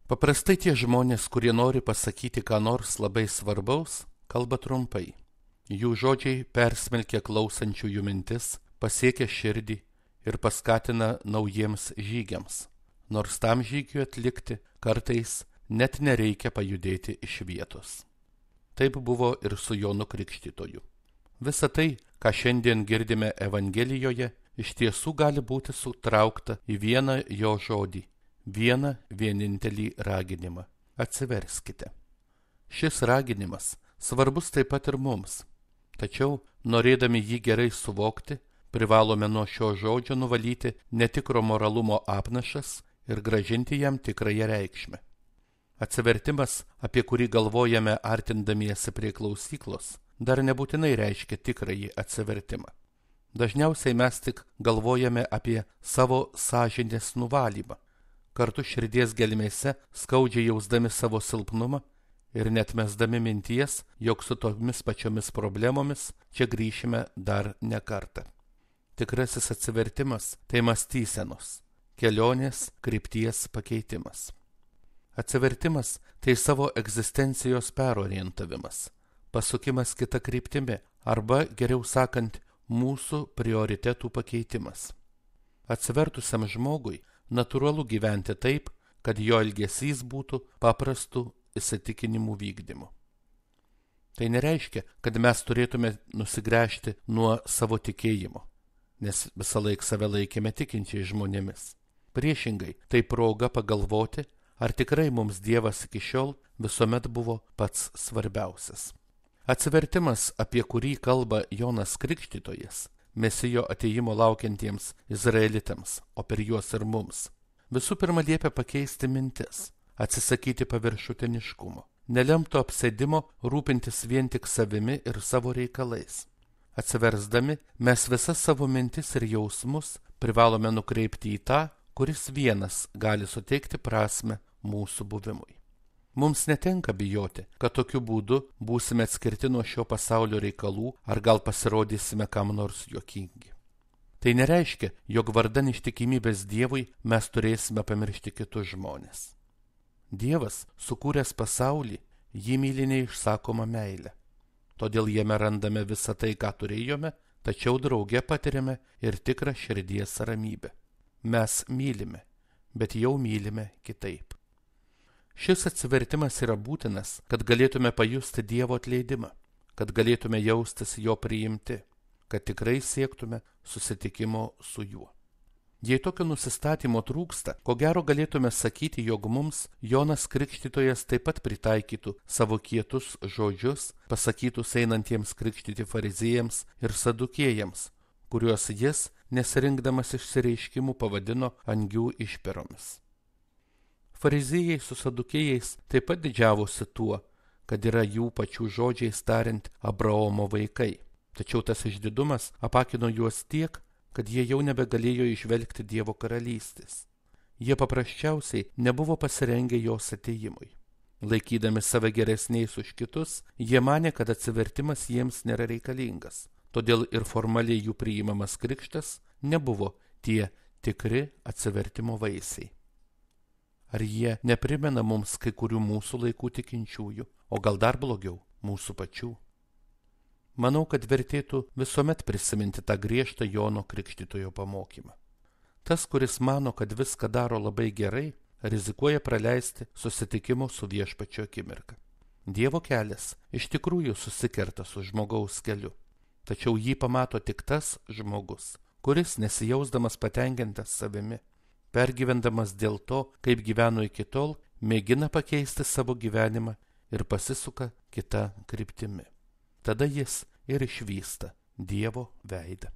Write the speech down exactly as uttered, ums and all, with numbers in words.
Paprastai tie žmonės, kurie nori pasakyti ką nors labai svarbaus, kalba trumpai. Jų žodžiai persmelkia klausančiųjų mintis, pasiekia širdį ir paskatina naujiems žygiams. Nors tam žygiui atlikti kartais net nereikia pajudėti iš vietos. Taip buvo ir su Jonu Krikštytoju. Visa tai, ką šiandien girdime Evangelijoje, iš tiesų gali būti sutraukta į vieną jo žodį, vieną vienintelį raginimą – atsiverskite. Šis raginimas svarbus taip pat ir mums, tačiau, norėdami jį gerai suvokti, privalome nuo šio žodžio nuvalyti netikro moralumo apnašas ir grąžinti jam tikrąją reikšmę. Atsivertimas, apie kurį galvojame artindamiesi prie klausyklos, dar nebūtinai reiškia tikrąjį atsivertimą. Dažniausiai mes tik galvojame apie savo sąžinės nuvalymą, kartu širdies gelmėse skaudžiai jausdami savo silpnumą ir net mesdami minties, jog su tomis pačiomis problemomis čia grįšime dar ne kartą. Tikrasis atsivertimas – tai mąstysenos, kelionės krypties pakeitimas. Atsivertimas – tai savo egzistencijos perorientavimas, pasukimas kita kryptimi arba, geriau sakant, mūsų prioritetų pakeitimas. Atsivertusiam žmogui natūralu gyventi taip, kad jo elgesys būtų paprastų įsitikinimų vykdymu. Tai nereiškia, kad mes turėtume nusigręžti nuo savo tikėjimo, nes visą laiką save laikėme tikinčiai žmonėmis. Priešingai, tai proga pagalvoti, ar tikrai mums Dievas iki šiol visuomet buvo pats svarbiausias. Atsivertimas, apie kurį kalba Jonas Krikštytojas, Mesijo atėjimo laukiantiems izraelitams, o per juos ir mums, visų pirma liepia pakeisti mintis, atsisakyti paviršutiniškumo, nelemto apsėdimo rūpintis vien tik savimi ir savo reikalais. Atsiversdami, mes visas savo mintis ir jausmus privalome nukreipti į tą, kuris vienas gali suteikti prasmę mūsų buvimui. Mums netenka bijoti, kad tokiu būdu būsime atskirti nuo šio pasaulio reikalų ar gal pasirodysime kam nors juokingi. Tai nereiškia, jog vardan ištikimybės Dievui mes turėsime pamiršti kitus žmonės. Dievas, sukūręs pasaulį, jį myli neišsakoma meilė. Todėl jame randame visą tai, ką turėjome, tačiau drauge patiriame ir tikrą širdies ramybę. Mes mylime, bet jau mylime kitaip. Šis atsivertimas yra būtinas, kad galėtume pajusti Dievo atleidimą, kad galėtume jaustis jo priimti, kad tikrai siektume susitikimo su juo. Jei tokio nusistatymo trūksta, ko gero galėtume sakyti, jog mums Jonas Krikštytojas taip pat pritaikytų savo kietus žodžius, pasakytus einantiems krikštyti fariziejams ir sadukėjams, kuriuos jis, nesirinkdamas išsireiškimų, pavadino angių išperomis. Fariziejai su sadukėjais taip pat didžiavosi tuo, kad yra jų pačių žodžiais tariant Abraomo vaikai. Tačiau tas išdidumas apakino juos tiek, kad jie jau nebegalėjo išvelgti Dievo karalystės. Jie paprasčiausiai nebuvo pasirengę jos atėjimui. Laikydami save geresniais už kitus, jie manė, kad atsivertimas jiems nėra reikalingas. Todėl ir formaliai jų priimamas krikštas nebuvo tie tikri atsivertimo vaisiai. Ar jie neprimena mums kai kurių mūsų laikų tikinčiųjų, o gal dar blogiau, mūsų pačių? Manau, kad vertėtų visuomet prisiminti tą griežtą Jono Krikštytojo pamokymą. Tas, kuris mano, kad viską daro labai gerai, rizikuoja praleisti susitikimo su Viešpačiu akimirką. Dievo kelias iš tikrųjų susikerta su žmogaus keliu, tačiau jį pamato tik tas žmogus, kuris nesijausdamas patenkintas savimi, pergyvendamas dėl to, kaip gyveno iki tol, mėgina pakeisti savo gyvenimą ir pasisuka kita kryptimi. Tada jis ir išvysta Dievo veidą.